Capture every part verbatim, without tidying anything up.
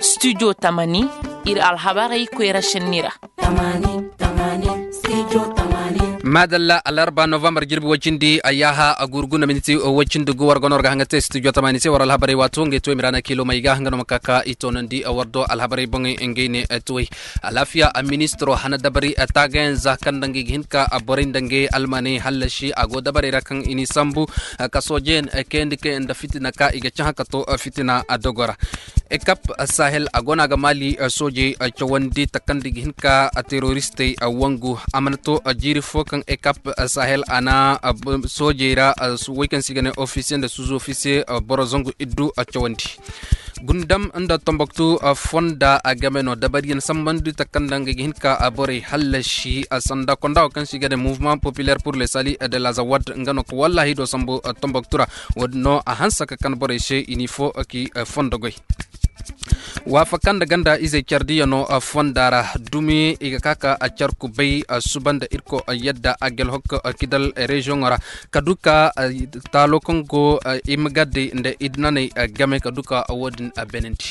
Studio tamani, ir alhabarey koyra šenni ra. Maadalla, alarba novambar jirbi woy cindi ayyaha a gurgu na miniti woy cindi gu war gono war ga haŋa te studio tamani se war alhabarey waato ngey to i ma ra na kiilo may ga nga no ma ka ka i toonandi war do alhabarey boŋey ngey ne tuwey. Alaafiya a ministiro hana dabari taagayaŋ za kaŋ nda ngey ga hin ka borey nda ngey almaney hallasi a go dabarey ra kaŋ i n'i sambu ka soojeyaŋ kayandi kay nda fitina ka i ga cahã ka to fitina dogo ra. Ekap sahel a go no a ga maali soojey cawandi takandi ga hin ka teroristey wangu a mana to jiiri fo kaŋ ekap sahel a na soojey ra woy kaŋ se i ga ne ofisiye nda suuzu ofisiye boro zangu iddu cawandi. Gundam nda tomboktu fonda a game no dabariyaŋ sambandi takanda nga ga hin ka borey hallasi sanda konda wo kaŋ se i ga ne mouvement populaire pour le sali de la zawad nga no ka wallahi do sambu tomboktu ra. Wo- din no a hanse ka kan borey se i n'i fo ki fondo goy. Waafakan nda ganda izey care diya no fonda ra dumi i ga ka ka care kubay suba nda irko yadda a gelhok kidal reziyoŋo ra ka du ka taalo kaŋ go i ma gadday nda idinaney game ka du ka wo- din benandi.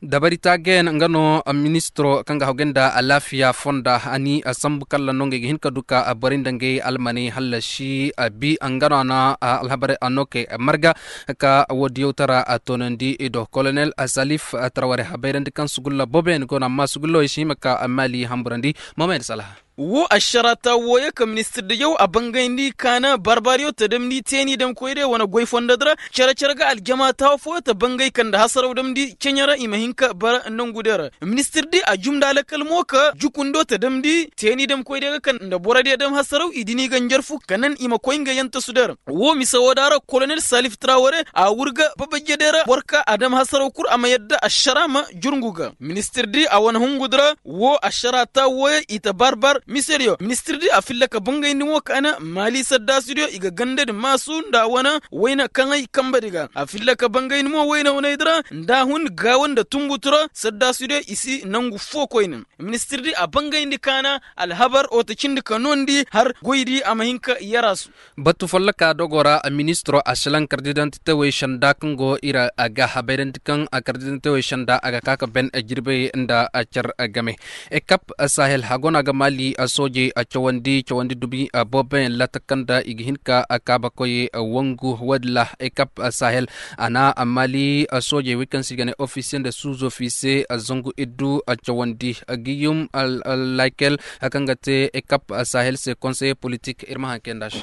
Dabari taagayaŋ nga no ministiro kaŋ ga hagay nda alaafiya fonda a ni sambu kalla no ngey ga hin ka du ka borey nda ngey almaney hallasi bi nga no a na alhabarey a no kay marga ka wo- diyaw tara toonandi i do kolonel salif taraware habayrandi kaŋ sugulla booboyaŋ go no amma sugulla wo i si hima ka maali hamburandi. Mohamed salaha. Wo ašaraata wooyo ka ministir diyaw a bangayndi kaana barbaariyo ta damndi teeni damkoydiyo wane goy fondodi ra. Cere-cere ga aljama taawa fooyo ta bangay ka nda hasaraw damndi ceɲe ra i ma hin ka bara nongudiyo ra. Ministir di a jum nda alakal mo ka jukundo ta damndi teeni damkoydiyo ga ka nda borodiyo dam hasaraw i dini ga njarfu ka nan i ma koy nga yantasudiyo ra. Wo mise wooda ra kolonel salif traware a wurga babajediyo ra boro ka a dam hasaraw kul a ma yadda ašara ma jurŋu ga. Ministir di a wane hungudi ra wo ašaraata wooyo i ta barbar misediyo ministir di a filla ka bangayndi mo ka na maali saddaasidiyo i ga gandadi maasu nda a wane wayna kaŋay kambedi ga a filla ka bangayndi mo wayna wanaydi ra nda a hun gaawa nda tunbutu ra saddaasidiyo i si nangu fo koyne. Ministir di a bangayndi ka na alhabar wo ta cindi ka noondi har goydi a ma hin ka yaraasu. Batu folloka dogo ra ministiro a silaŋ kardidantitewey senda kaŋ go ir a ga habayrandi kaŋ kardidantitewey senda a ga ka ka ben jirbey nda car game. Ekap sahel hago no a ga maali soojey cawandi cawandi dumi booboyaŋ laatakan da i ga hin ka kaabakoy wangu woodin ra ekap sahel a na maali soojey wey kaŋ se i ga ne ofisiye nda suuzo fiise zangu iddu cawandi giyum lakel kaŋ ga te ekap sahel se konseye politik ir ma haŋ kay nda se.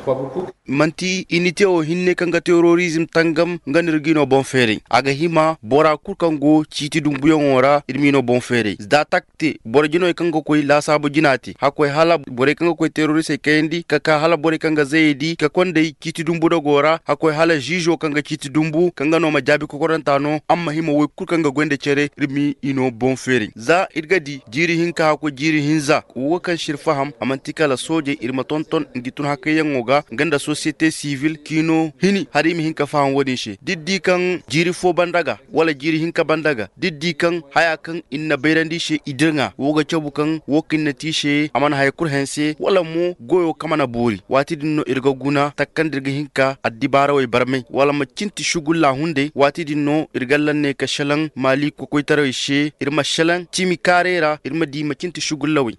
Manti inite wo hinne kaŋ ga terorizm tangam nga no ir g'i no boŋ feeray a ga hima bora kul kaŋ go ciiti dumbuyaŋo ra ir m'i no boŋ feeray za tak te boro jinawey kaŋ ga koy laasaabu jina te hakkoy hala borey kaŋ ga koy teroristey kayandi ka ka hala borey kaŋ ga zayey di ka konday ciiti dumbu dogo ra hakkoy hala ziizo kaŋ ga ciiti dumbu kaŋ ga no ma jaabi kokoranta no amma hima woy kul kaŋ ga goy nda cere ir m'i no boŋ feeray za ir ga di jiiri hinka hakkoy jiiri hinza wo kaŋ se ir faham a manti kala soojey ir ma tonton ngi tun hakayyaŋo ga nga nda sosiyete sivil k'i no hini hala i ma hin ka faham wo-din se da ir di kaŋ jiiri fo banda ga wala jiiri hinka banda ga da ir di kaŋ haya kaŋ ir na bayrandi i se i dirŋa wo ga cabu kaŋ wo kaŋ ir na te i se a mana haya kul hanse wala mo goyo kaŋ mana boori waati din no ir ga guna taka kaŋ da ir ga hin ka addibaarawey barmay wala ma cinti sugulla hunday waati din no ir ga lanney ka selaŋ maali kokoytarawey se ir ma selaŋ cimi kaaray ra ir ma di ma cinti sugullawey.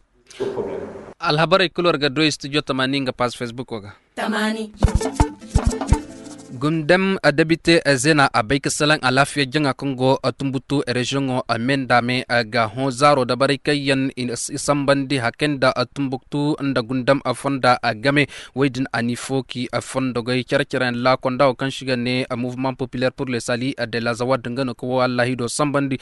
Alhabarey kul war ga doy studio tamaani nga paas fesbuko ga. Gundam debite zena a bay ka salaŋ alaafiya jaŋa kaŋ go tumbutu reziyoŋo me nda me ga hõ zaaro dabarey kaŋ yaŋ i sambandi hakay nda tumbuktu nda gundam fonda game. Wey din a ni fooki fondogey care-care yaŋ laakonda wo kaŋ se i ga ne mouvement populaire pour le sali de la zawad nga no ka wo allahido sambandi.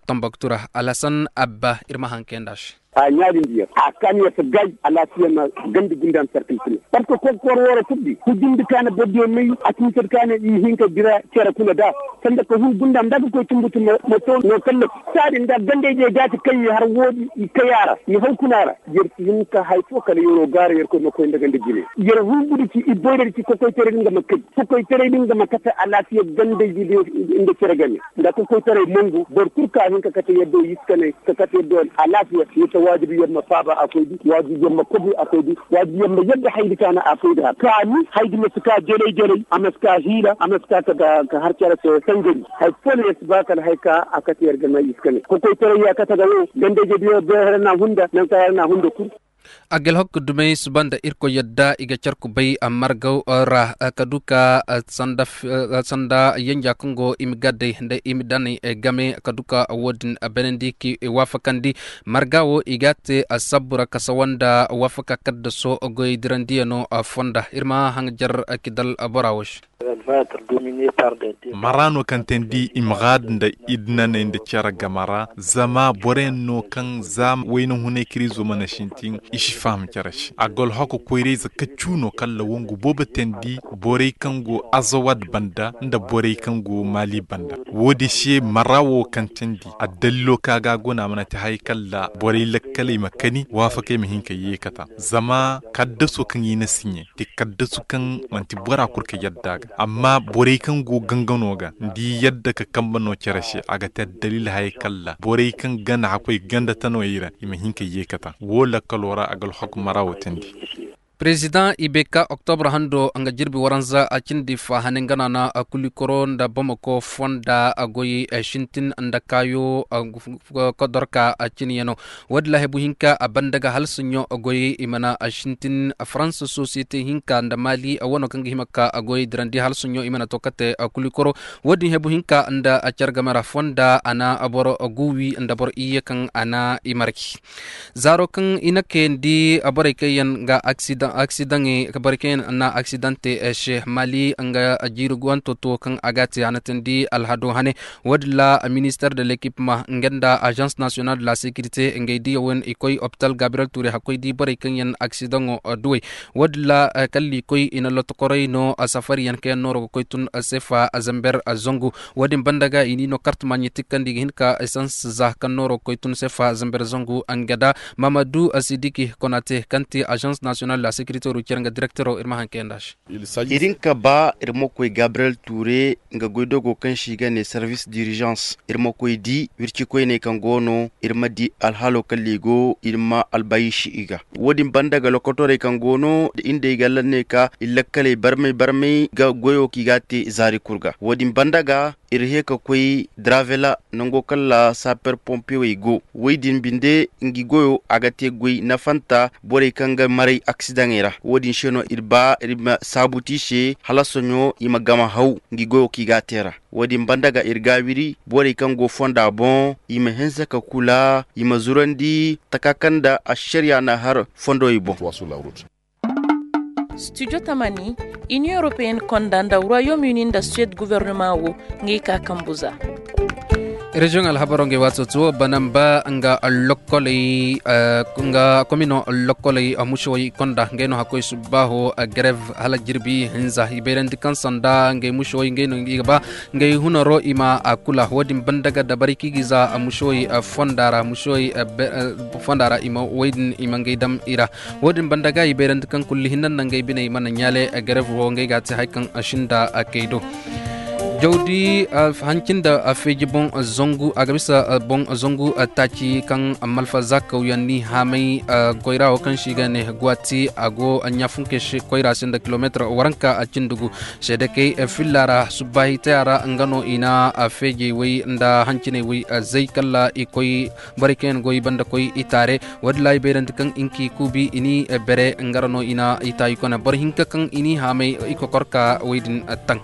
Tumbuktu ra alhasan abba ir ma haŋ kay nda se. A ɲaadindiyaŋ a kaaniya si gaay alaasiya ma gandi gundam sarkil kuna. Park kokor wooro furdi hujjindi kaana bordiyo may a sintir kaana i hinka dira cere kuna da sanda ka hun gundam da ka koy tumbutu ma to no kallaf. Saadin da gandey diya jaati kaŋ i har woodi i kay a ra i haw kuna ra. Yer si hin ka hay fo kala yeroo gaara yer koy ma koy nda ganda jine. Yer hun gudi ci i boyra di ci kokoytaray din ga ma kay kokoytaray din ga ma kate alaasiya gandey di nda cere game nda kokoytaray mongu boro kul ka hin ka kate yaddo iskaney ka kate yaddo alaasiya. Waajibi yer ma faaba a koy di, waajibi yer ma kobi a koy di, waajibi yer ma yadda haydi ka na a koy di har kaani haydi ma si ka jelay jelay, a ma si ka hiila, a ma si ka ka har care se sangari. Hay foo no yer si ba kala hay ka a kate yer ga may i si ka ne kokoytaray ya kate ga wo. Ganda-ije diyo beehere na hunda nanka yer na hunda kul. Agel hokku dumey suba nda irkoy yadda i ga carku bay margaw ra ka du ka sanda yanja kaŋ go i ma gadday nda i ma danay game ka du ka wo- din benandi k'i waafakandi. Marga wo i ga a te sabbu ra ka sawa nda waafaka kaddaso goy dirandiyano fonda ir ma haŋ jar kidal bora wo se. Mara no kaŋ teendi i ma gaad nda idnaney nda cere game ra zama boroyaŋ no kaŋ za wayna hunay kiriizo mana sintin i si faham cere se a ga alhako koyrayze kaccu no kaŋ ra wangu boobo teendi borey kaŋ go azawad banda nda borey kaŋ go maali banda. Wo- din se mara wo kaŋ teendi addalilo kaŋ a ga a go no a mana te haray kaŋ ra borey lakkaley ma kani waafakey ma hin ka yeekata zama kaddaso kaŋ i na siɲe te kaddasu kaŋ manti bora kul ka yadda a ga amma borey kaŋ go gangano ga nda i yadda ka kambe no cere se a ga te addalil hayey kaŋ ra borey kaŋ gana hakkoy ganda tanooyey ra i ma hin ka yeekata wo lakkalo ra a ga alhako mara wo teendi. Pirezidaŋ ibeka oktobra hando nga jirbi waranza a cindi fa hane nga naana kulikoro nda bamako fonda a goy sintin nda kaayo kodorka a ciniyano. Wo- din ra hebu hinka a banda ga halsaɲo goyey i mana sintin faransa sosiyete hinka nda maali a wano kaŋ ga hima ka a goyey dirandi halsaɲo i mana to kate kulikoro. Wo- din hebu hinka nda a care game ra fonda a na boro guwi nda boro iyye kaŋ a na i marki. Zaaro kaŋ i na kayandi borey kaŋ yaŋ ga aksidaŋey borey kaŋ yaŋ na aksidante se maali nga jiiri guwanto to kaŋ a ga a te a na teendi alhado hane. Wo- din ra minister de l'ekipma nga nda azans nasiyonal de la sekirite ngey diya wane i koy opital gabriyel ture hakkoy di borey kaŋ yaŋ aksidaŋo duwey. Wo- din ra kala i koy i na lotokoray no safariyaŋ kaŋ yaŋ nooro ga koy tun sefa zamber zangu. Wo- din banda ga i n'i no kartama ɲitikandi ga hin ka esans za kaŋ nooro ga koy tun sefa zamber zangu nga da mamadu sidiki konate kaŋ te azans nasiyonal de la sekirite ru care nga direktero ir ma haŋ kayandi a se. Ir hin ka ba ir ma koy gabriyel ture nga goydogo kaŋ se i ga ne servis dirizans ir ma koy di wircikoyney kaŋ go no ir ma di alhalo kaŋ ra i go ir ma albayisi i ga. Wo- din banda ga lokotorey kaŋ go no nda indey ga lanney ka ir lakkaley barmay barmay ga goyo kaŋ i ga a te zaari kul ga wo- din banda ga ir hee ka koy dravela nango kaŋ ra saper pompewey go. Wey din binde ngi goyo a ga te goy nafanta borey kaŋ ga maray aksidaŋey ra wo- din se no ir ba ir ma saabuti i se hala soɲo i ma gama haw ngi goyo kaŋ i ga a te ra. Wo- din banda ga ir gaawiri borey kaŋ go fonda boŋ i ma hinse ka kula i ma zurandi taka kaŋ nda ašariya na har fondowey boŋ. Studio tamani, inion europeen konda nda royaume uni nda suwed gobornoma wo, ngey ka kambu za. Reziyoŋ alhabaro ngey waato to banamba nga lokkoley nga komino lokkoley mušewey konda ngey no hakkoy subbaaho grev hala jirbi hinza i bayrandi kaŋ sanda ngey mušewey ngey no i ga ba ngey hunaro i ma a kula wo- din banda ga dabari kaŋ i ga i za mušewey fonda ra mušewey fonda ra i ma wey din i ma ngey dam i ra. Wo- din banda ga i bayrandi kaŋ kulli hinne nda ngey biney mana ɲaale gareef wo ngey ga a te hari kaŋ a sinda kay do. Jawdi hanci nda feeji boŋ zangu a ga bisa boŋ zangu taaci kaŋ malfa zaakawyaŋ ni haamay koyra wo kaŋ se i ga ne gwati a go ɲaafunkey se koyra se nda kilomeetir waranka a cindi gu. Seedekey filla ra subbaahi taya ra nga no i na feejey way nda hanciney way zay kala i koy borey kaŋ yaŋ goy banda koy itaare. Wo- din ra i bayrandi kaŋ i nki kuubi i ni bere nga ra no i na itaayi kone boro hinka kaŋ i ni haamay i kokorka wey din taŋ.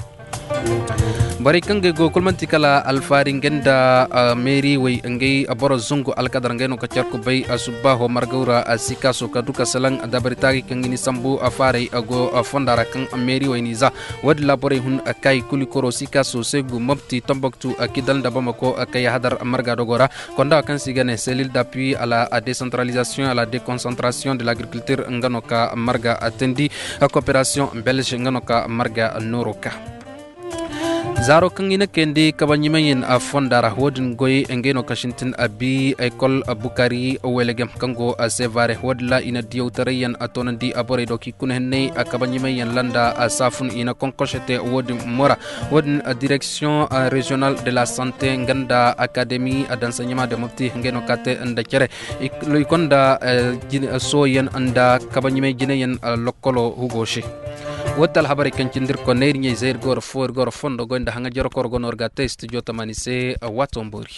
Borey kaŋ gay go kulu manti kala alfaari ngey nda meeri wey ngey boro zungu alkadar ngey no ka care kubay subbaaho margaw ra sikaaso ka du ka salaŋ dabari taagay kaŋ i ni sambu faaray go fonda ra kaŋ meeri wey n'i za. Wo- din ra borey hun kay kuli koro sikaaso segu mopti tomboktu kidal nda bamako kay hadar marga dogo ra. Konda kaŋ se i ga ne selil d'appui à la décentralisation à la déconcentration de l'agriculture nga no ka marga teendi. Coopération belge nga no ka marga nooro ka. Zaaro kaŋ i na kayandi kabaɲimayyaŋ fonda ra wo-din goy ngey no kaŋ sintin a bi ekol bukari welegem kaŋ go sevare wo-din ra i na diyawtarayyaŋ a toonandi a borey do kaŋ i kuna henney kabaɲimayyaŋ landa a saafun i na konkose te wo-din mora. Wo-din direksiyoŋ reziyonal de la sante nga nda akademi dansaɲama de mobti ngey no ka te nda cere. I konda sooyaŋ nda kabaɲimay jinayaŋ lokkolo hugo se. Wo ti alhabarey kaŋ cindi ir konney ir ɲey zay ir ga war fo ir ga war fondo goy nda haŋajerokoro go no ir ga a te studio tamani se. Waato mboori.